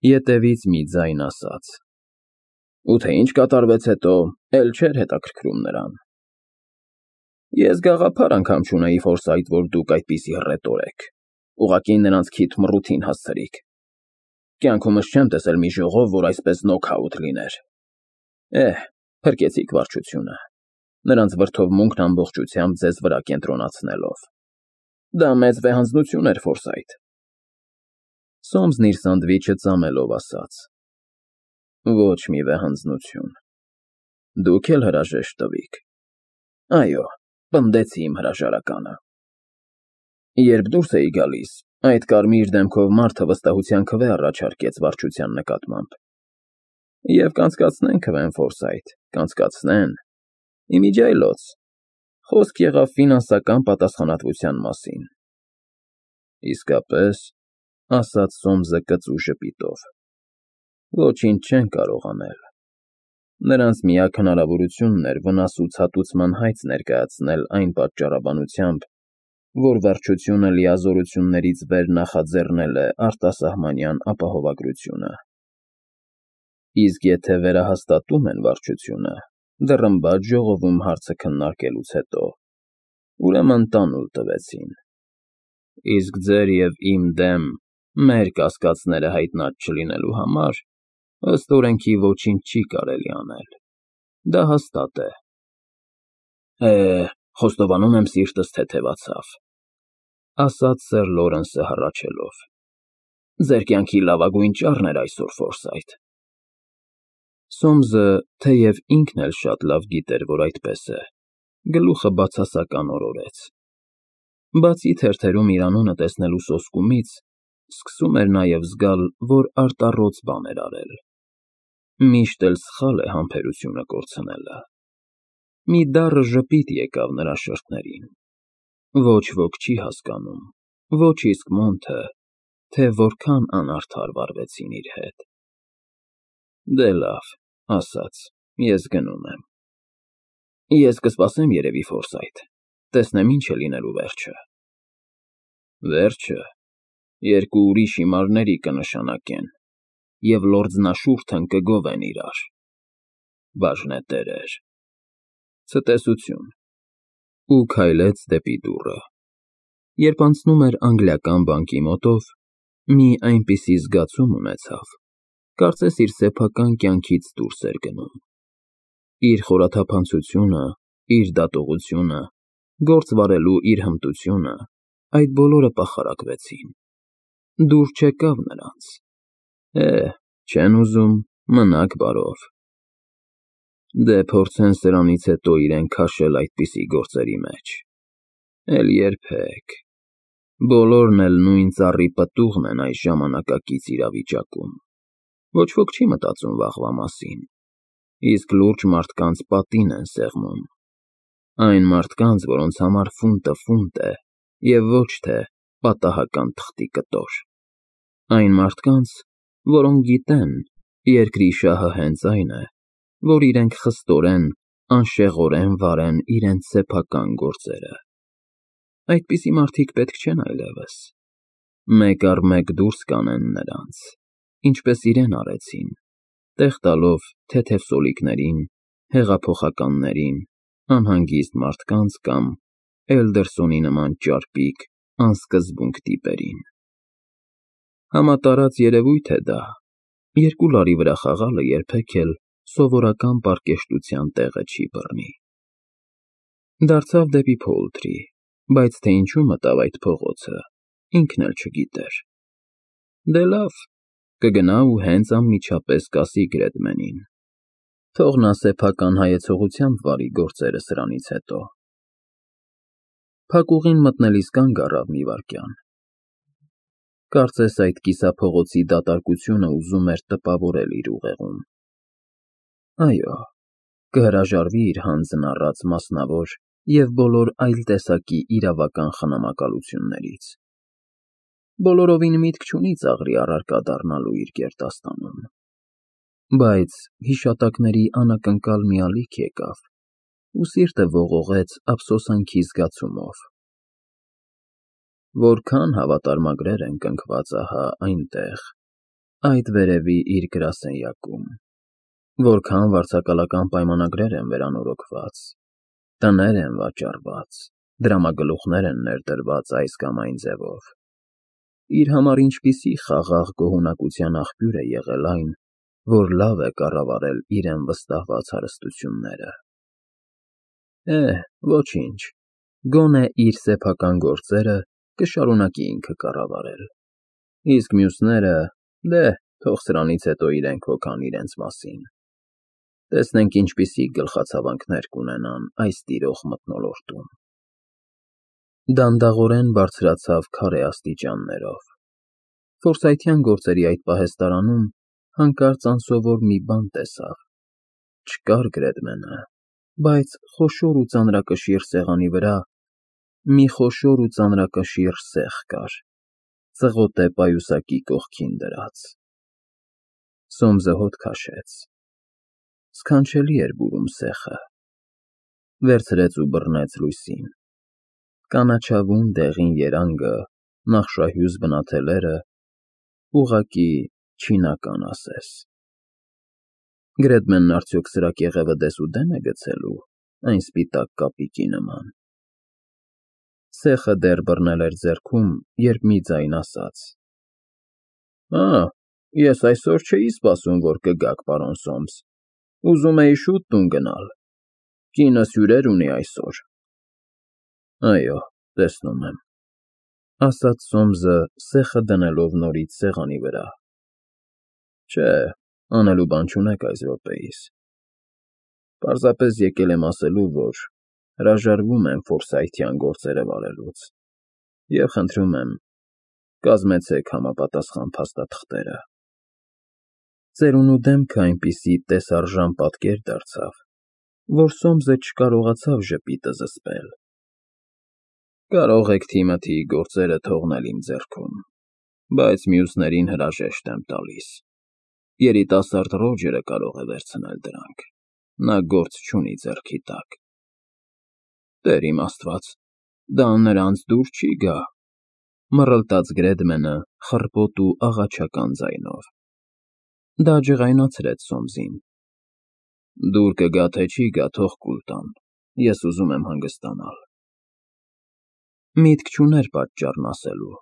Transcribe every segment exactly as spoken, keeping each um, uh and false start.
Ետևից մի ձայն ասաց. Ու թե ինչ կատարվեց հետո, էլ չէր հետաքրքրում նրան։ Ես գաղափար անգամ չունեի Ֆորսայթ, որ դուք այդպիսի հռետոր եք, ուղղակի նրանց քիթ մռութին հասցրիք։ Կյանքումս չեմ տեսել մի ժողով, որ այսպես նոքաութ լիներ։ Էհ, փրկեցիք վարչությունը, նրանց վրդովմունքն ամբողջությամբ ձեզ վրա կենտրոնացնելով։ Դա մեծ վեհանձնություն էր, Ֆորսայթ։ Սոմսն իր սանդվիչը ծամելով ասաց. Ոչ մի վեհանձնություն։ Դուք էլ հրաժեշտ տվիք։ Այո, պնդեցի իմ հրաժարականը։ Երբ դուրս էի գալիս, այդ կարմիր դեմքով մարդը վստահության քվե առաջարկեց վարչության նկատմամբ։ Եվ կանցկացնեն քվեն, Ֆորսայթ, կանցկացնեն։ Իմիջիայլոց։ Խոսք եղավ ֆինանսական պատասխանատվության մասին։ Իսկապես, ասաց Սոմսը կծու ժպիտով։ Ոչինչ չեն կարող անել։ Նրանց միակ հնարավորությունն էր վնասուցհատուցման հայց ներկայացնել այն պատճառաբանությամբ, որ վարչությունը լիազորություններից վեր նախաձեռնել է արտասահմանյան ապահովագրությունը։ Իսկ եթե վերահաստատում են վարչությունը, դռնբաջ ժողովում հարցը քննարկելուց հետո, ուրեմն տանուլ տվեցին։ Իսկ ձեր և իմ դեմ մեր կասկածները հայտնած չլինելու համար, ըստ օրենքի ոչինչ չի կարելի անել։ Դա հաստատ է։ Է, խոստովանում եմ սիրտս թեթևացավ, ասաց սեր Լորենսը հառաչելով։ Ձեր կյանքի լավագույն ճառն էր այսօր, Ֆորսայթ։ Սոմսը, թեև ինքն էլ շատ լավ գիտեր, որ այդպես է, գլուխը բացասական օրորեց։ Բացի թերթերում իր անունը տեսնելու սոսկումից, սկսում էր նաև զգալ, որ արտառոց բան էր արել։ Միշտ էլ սխալ է համբերությունը կորցնելը։ Մի դառը ժպիտ եկավ նրա շրթներին։ Ոչ ոք չի հասկանում, ոչ իսկ Մոնթը, թե որքան անարդար վարվեցին իր հետ։ Դե լավ, ասաց, ես գնում եմ։ Ես կսպասեմ երևի, Ֆորսայթ, տեսնեմ ինչ է լինելու վերջը։ Վերջը երկու ուրիշ հիմարների կնշանակեն, և լորձնաշուրթն կգովեն իրար։ Բաժնետերեր։ Ցտեսություն։ Ու քայլեց դեպի դուռը։ Երբ անցնում էր անգլիական բանկի մոտով, մի այնպիսի զգացում ունեցավ, կարծես իր սեփական կյանքից դուրս էր գնում։ Իր խորաթափանցությունը, իր դատողությունը, գործ վարելու իր հմտությունը, այդ բոլորը պախարակվեցին։ Դուր չեկավ նրանց։ Է, չեն ուզում, մնաք բարով։ Դե փորձեն սրանից հետո իրեն քաշել այդպիսի գործերի մեջ։ Էլ երբեք։ Բոլորն էլ նույն ծառի պտուղն են այս ժամանակակից իրավիճակում։ Ոչ ոք չի մտածում վաղվա մասին, իսկ լուրջ մարդկանց պատին են սեղմում։ Այն մարդկանց, որոնց համար ֆունտը ֆունտ է, և ոչ թե պատահական թղթի կտոր։ Այն մարդկանց, որոնք գիտեն, երկրի շահը հենց այն է, որ իրենք խստորեն, անշեղորեն վարեն իրենց սեփական գործերը։ Այդպիսի մարդիկ պետք չեն այլևս։ Մեկ առ մեկ դուրս կանեն նրանց, ինչպես իրեն արեցին, տեղ տալով թեթև սոլիկներին, հեղափոխականներին, անհանգիստ մարդկանց կամ Էլդերսոնի նման ճարպիկ, անսկզբունք տիպերին։ Համատարած երևույթ է դա, երկու լարի վրա խաղալը երբեք էլ սովորական պարկեշտության տեղը չի բռնի։ Դարձավ դեպի Փոլթրի, բայց թե ինչու մտավ այդ փողոցը, ինքն էլ չգիտեր։ Դե լավ, կգնա ու հենց անմիջապես կասի Գրեդմենին։ Թող նա սեփական հայեցողությամբ վարի գործերը սրանից հետո։ Փակուղին մտնելիս կանգ առավ մի վայրկյան։ Կարծես այդ կիսափողոցի դատարկությունը ուզում էր տպավորել իր ուղեղում։ Այո, կհրաժարվի իր հանձն առած մասնավոր և բոլոր այլ տեսակի իրավական խնամակալություններից։ Բոլորովին միտք չունի ծաղրի առարկա դառնալու իր գերդաստանում։ Բայց հիշատակների անակնկալ մի ալիք եկավ, ու սիրտը ողողեց ափսոսանքի զգացումով։ Որքան հավատարմագրեր են կնքված ահա այնտեղ, այդ վերևի իր գրասենյակում, որքան վարձակալական պայմանագրեր են վերանորոգված, տներ են վաճառված, դրամագլուխներ են ներդրված այս կամ այն ձևով, իր համար ինչպիսի խաղաղ գոհունակության աղբյուր է եղել այն, որ լավ է կառավարել իրեն վստահված հարստությունները։ Է, ոչինչ, գոնե իր սեփական գործերը կշարունակի ինքը կառավարել, իսկ մյուսները, դե, թող սրանից հետո իրենք հոգան իրենց մասին։ Տեսնենք ինչպիսի գլխացավանքներ կունենան այս տիրող մթնոլորտում։ Դանդաղորեն բարձրացավ քարե աստիճաններով։ Ֆորսայթյան գործերի այդ պահեստարանում հանկարծ անսովոր մի բան տեսավ։ Չկար Գրեդմենը, բայց խոշոր ու ծանրակշիռ սեղանի վրա մի խոշոր ու ծանրակշիռ սեղ կար, ծղոտե պայուսակի կողքին դրած։ Սոմսը հոտ քաշեց։ Սքանչելի էր բուրում սեխը։ Վերցրեց ու բռնեց լույսին։ Կանաչավուն դեղին երանգը, նախշահյուզ բնաթելերը, ուղղակի չինական ասես։ Գրեդմենն արդյոք սրա կեղևը դեսուդեն է գցելու, այն սպիտակ կապիկի նման։ Սեխը դեռ բռնել էր ձեռքում, երբ մի ձայն ասաց. Ա, ես այսօր չէի սպասում, որ կգաք, պարոն Սոմս, ուզում էի շուտ տուն գնալ, կինս հյուրեր ունի այսօր։ Այո, տեսնում եմ, ասաց Սոմսը սեխը դնելով նորից սեղանի վրա։ Չէ, անելու բան չունեք այս րոպեիս։ Պարզապես եկել եմ ասելու, որ հրաժարվում եմ Ֆորսայթյան գործերը վարելուց և խնդրում եմ, կազմեցեք համապատասխան փաստաթղթերը։ Ծերունու դեմքը այնպիսի տեսարժան պատկեր դարձավ, որ Սոմսը չկարողացավ ժպիտը զսպել։ Կարող եք Թիմոթիի գործերը թողնել իմ ձեռքում, բայց մյուսներին հրաժեշտ եմ տալիս։ Երիտասարդ Ռոջերը կարող է վերցնել դրանք, նա գործ չունի ձեռքի տակ։ Տեր իմ Աստված, դա նրանց դուր չի գա, մռլտաց Գրեդմենը խռպոտ ու աղաչական ձայնով։ Դա ջղայնացրեց Սոմսին։ Դուր կգա թե չի գա, թող կուլ տան, ես ուզում եմ հանգստանալ։ Միտք չուներ պատճառն ասելու։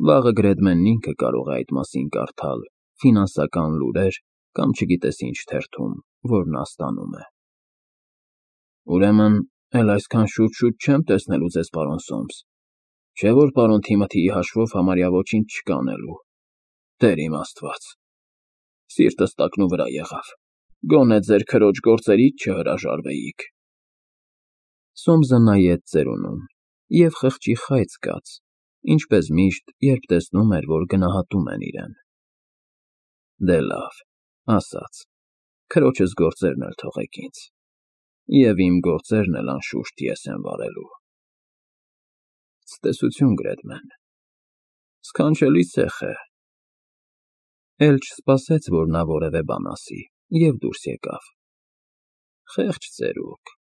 Վաղը Գրեդմենն ինքը կարող է այդ մասին կարդալ ֆինանսական լուրեր կամ չգիտես ինչ թերթում, որ նա ստանում է։ Ուրեմն, էլ այսքան շուտ-շուտ չեմ տեսնելու ձեզ, պարոն Սոմս, չէ՞ որ պարոն Թիմոթիի հաշվով համարյա ոչինչ չկա անելու։ Տեր իմ Աստված, սիրտս տակնու վրա եղավ, գոնե ձեր քրոջ գործերից չհրաժարվեիք։ Սոմսը նայեց ծերունուն և խղճի խայծ զգաց, ինչպես միշտ, երբ տեսնում էր, որ գնահատում են իրեն։ Դե լավ, ասաց, քրոջս գործերն էլ թողեք ինձ, և իմ գործերն էլ անշուշտ ես եմ վարելու։ Ցտեսություն, Գրեդմեն, սքանչելի սեխ է։ Էլ չսպասեց, որ նա որևէ բան ասի, և դուրս եկավ։ Խեղճ ծերուկ։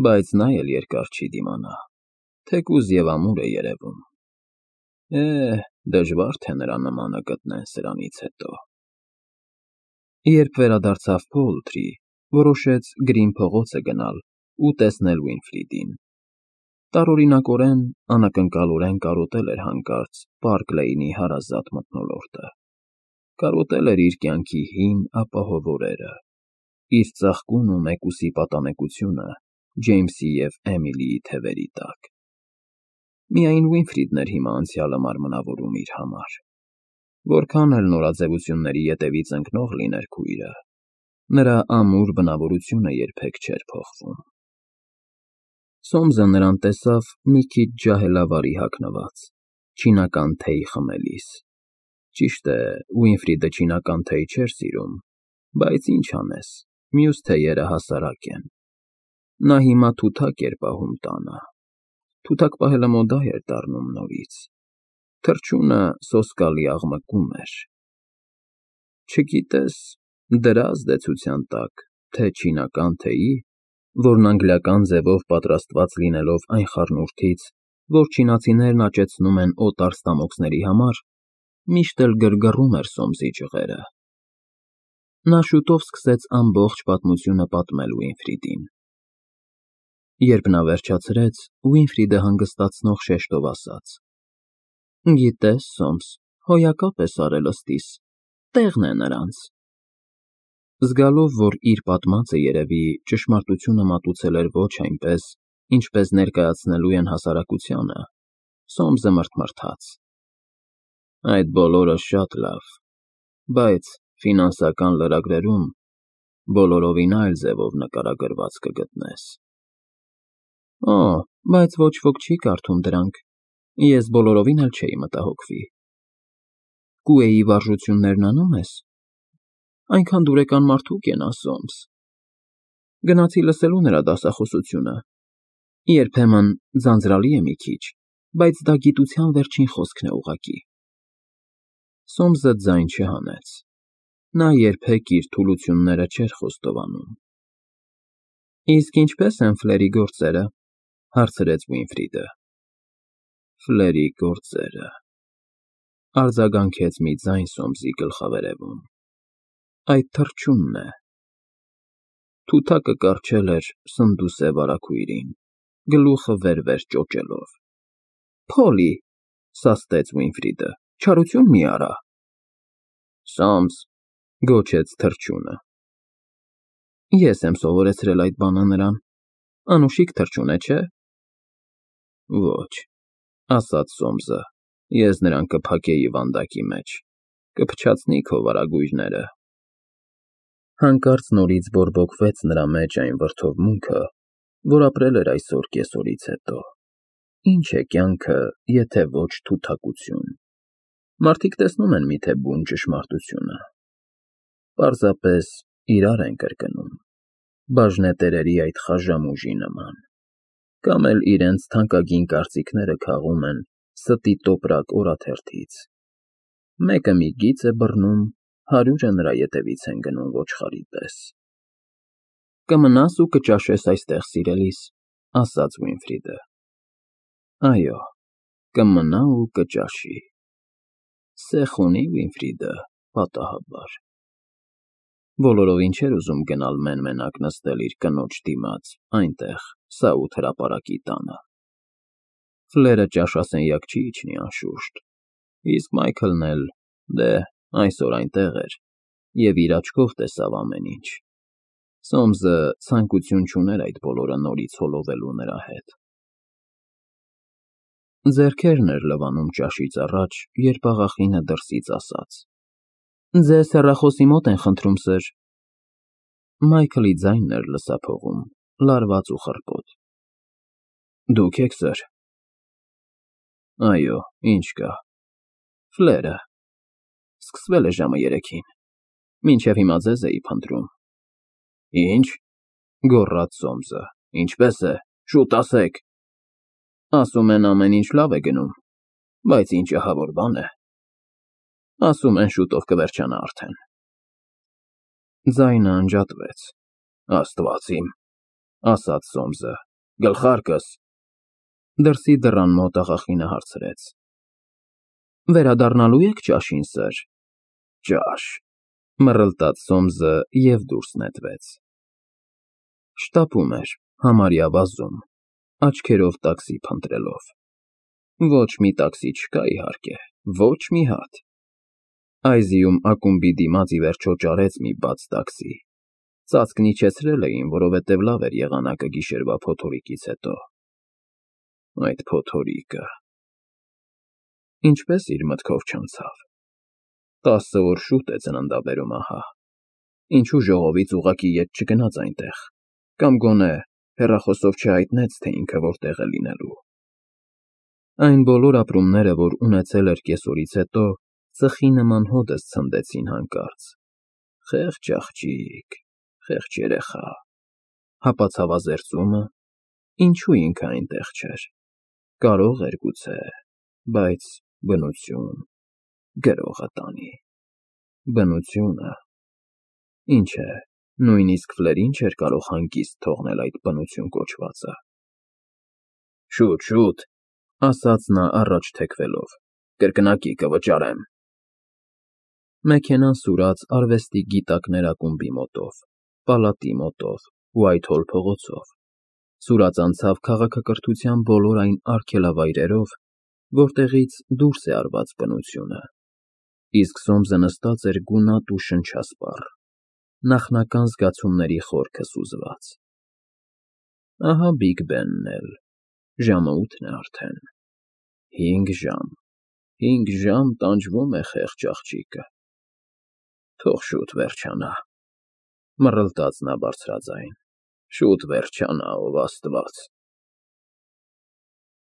Բայց նա էլ երկար չի դիմանա, թեկուզ և ամուր է երևում։ Է, դժվար թե նրա նմանը գտնեն սրանից հետո։ Երբ վերադարձավ Փոուլթրի, որոշեց Գրին փողոցը գնալ ու տեսնել Վինֆրիդին։ Տարօրինակորեն, անակնկալորեն կարոտել էր հանկարծ Պարկ Լեյնի հարազատ մթնոլորտը։ Կարոտել էր իր կյանքի հին ապահով օրերը, իր ծաղկուն ու մեկուսի պատանեկությունը Ջեյմսի և Էմիլիի թևերի տակ։ Միայն Վինֆրիդն էր հիմա անցյալը մարմնավորում իր համար։ Որքան էլ նորաձևությունների ետևից ընկնող լիներ քույրը, նրա ամուր բնավորությունը երբեք չէր փոխվում։ Սոմսը նրան տեսավ մի քիչ ջահելավարի հագնված, չինական թեյ խմելիս։ Ճիշտ է, Վինֆրիդը չինական թեյ չէր սիրում, բայց ինչ անես, մյուս թեյերը հասարակ են։ Նա հիմա թութակ էր պահում տանը։ Թութակ պահելը մոդա էր դառնում նորից։ Թռչունը սոսկալի աղմկում էր։ Չգիտես, դրա ազդեցության տակ, թե չինական թեյի, որն անգլիական ձևով պատրաստված լինելով այն խառնուրդից, որ չինացիներն աճեցնում են օտար ստամոքսների համար, միշտ էլ գրգռում էր Սոմսի ջղերը։ Նա շուտով սկսեց ամբողջ պատմությունը պատմել Ուինֆրիդին։ Երբ նա վերջացրեց, Ուինֆրիդը հանգստացնող շեշտով ասաց. «Գիտես, Սոմս, հոյակապ ես արել ըստիս, տեղն է նրանց»։ Զգալով, որ իր պատմածը երևի ճշմարտությունը մատուցել էր ոչ այնպես, ինչպես ներկայացնելու են հասարակությանը, Սոմսը մռթմռթաց. «Այդ բոլորը շատ լավ, բայց ֆինանսական լրագրերում բոլորովին այլ ձևով նկարագրված կգտնես»։ Օ, բայց ոչ ոք չի կարդում դրանք, ես բոլորովին էլ չէի մտահոգվի։ Կուեի վարժություններն անում ես։ Այնքան դուրեկան մարդուկ են, Սոմս։ Գնացի լսելու նրա դասախոսությունը։ Երբեմն ձանձրալի է մի քիչ, բայց դա գիտության վերջին խոսքն է ուղղակի։ Սոմսը ձայն չհանեց։ Նա երբեք իր թուլությունները չէր խոստովանում։ Իսկ ինչպե՞ս են Ֆլերի գործերը, հարցրեց Ուինֆրիդը։ Ֆլերի գործերը, արձագանքեց մի ձայն Սոմսի գլխավերևում, այդ թռչունն է։ Թութակը կառչել էր սնդուսե վարագույրին, գլուխը վեր֊վեր ճոճելով։ Փոլի, սաստեց Ուինֆրիդը, չարություն մի արա։ Սոմս, գոչեց թռչունը։ Ես եմ սովորեցրել այդ բանը նրան, անուշիկ թռչուն է, չէ։ Ոչ, ասաց Սոմսը, ես նրան կփակեի վանդակի մեջ, կփչացնի քո վարագույրները։ Հանկարծ նորից բորբոքվեց նրա մեջ այն վրդովմունքը, որ ապրել էր այսօր կեսօրից հետո։ Ինչ է կյանքը, եթե ոչ թութակություն։ Մարդիկ տեսնում են միթե բուն ճշմարտությունը։ Պարզապես իրար են կրկնում, բաժնետերերի այդ խաժամ ուժի նման, կամ էլ իրենց թանկագին կարծիքները քաղում են ստի տոպրակ օրաթերթից։ Մեկը մի գիծ է բռնում, հարյուրը նրա ետևից են գնում ոչխարի պես։ Կմնաս ու կճաշես այստեղ, սիրելիս, ասաց Ուինֆրիդը։ Այո, կմնա ու կճաշի։ Սեխ ունի Ուինֆրիդը, պատահաբար։ Բոլորովին չէր ուզում գնալ մեն֊մենակ նստել իր կնոջ դիմաց, այնտեղ, Սաութ հրապարակի տանը։ Ֆլերը ճաշասենյակ չի իջնի, անշուշտ, իսկ Մայքլն էլ, դե, այսօր այնտեղ էր և իր աչքով տեսավ ամեն ինչ։ Սոմսը ցանկություն չուներ այդ բոլորը նորից հոլովելու նրա հետ։ Ձեռքերն էր լվանում ճաշից առաջ, երբ աղախինը դրսից ասաց. Ձեզ հեռախոսի մոտ են խնդրում, սըր։ Մայքլի ձայնն էր լսափողում, լարված ու խռպոտ։ Դուք եք, սըր։ Այո, ինչ կա։ Ֆլերը։ Սկսվել է ժամը երեքին։ Մինչև հիմա ձեզ էի փնտրում։ Ինչ, գոռաց Սոմսը, ինչպես է, շուտ ասեք։ Ասում են ամեն ինչ լավ է գնում, բայց ինչ ահավոր բան է։ Ասում են շուտով կվերջանա արդեն։ Ձայնը անջատվեց։ Աստված իմ, ասաց Սոմսը, գլխարկս։ Դրսի դռան մոտ աղախինը հարցրեց. Վերադառնալու եք ճաշին, սըր։ Ճաշ, մռլտաց Սոմսը և դուրս նետվեց։ Շտապում էր, համարյա վազում, աչքերով տաքսի փնտրելով։ Ոչ մի տաքսի չկա, իհարկե, ոչ մի հատ։ Այզիում ակումբի դիմաց ի վերջո ճարեց մի բաց տաքսի։ Ծածկն իջեցրել էին, որովհետև լավ էր եղանակը գիշերվա փոթորիկից հետո։ Այդ փոթորիկը… Ինչպես իր մտքով չանցավ։ Տասը օր շուտ է ծննդաբերում, ահա։ Ինչու ժողովից ուղղակի ետ չգնաց այնտեղ, կամ գոնե հեռախոսով չհայտնեց, թե ինքը որտեղ է լինելու։ Այն բոլոր ապրումները, որ ունեցել էր կեսօրից հետո, ծխի նման հօդս ցնդեցին հանկարծ։ Խեղճ աղջիկ, խեղճ երեխա։ Հապացավազերծումը… Ինչու ինքը այնտեղ չէր։ Կարող էր գուցե, բայց բնություն… Գրողը տանի… Բնությունը… Ինչ է, նույնիսկ Ֆլերին չէր կարող հանգիստ թողնել այդ բնություն կոչվածը։ Շուտ, շուտ, ասաց նա առաջ թեքվելով, կրկնակի կվճարեմ։ Մեքենան սուրաց արվեստի գիտակներ ակումբի մոտով, պալատի մոտով, Ուայթհոլ փողոցով, սուրաց անցավ քաղաքակրթության բոլոր այն արգելավայրերով, որտեղից դուրս է արված բնությունը, իսկ Սոմսը նստած էր գունատ ու շնչասպառ, նախնական զգացումների խորքը սուզված։ Ահա Բիգ Բենն էլ, ժամը ութն է արդեն, հինգ ժամ, հինգ ժամ տանջվում է խեղճ աղջիկը։ Թող շուտ վերջանա, մռլտաց նա բարձրաձայն, շուտ վերջանա, ով Աստված։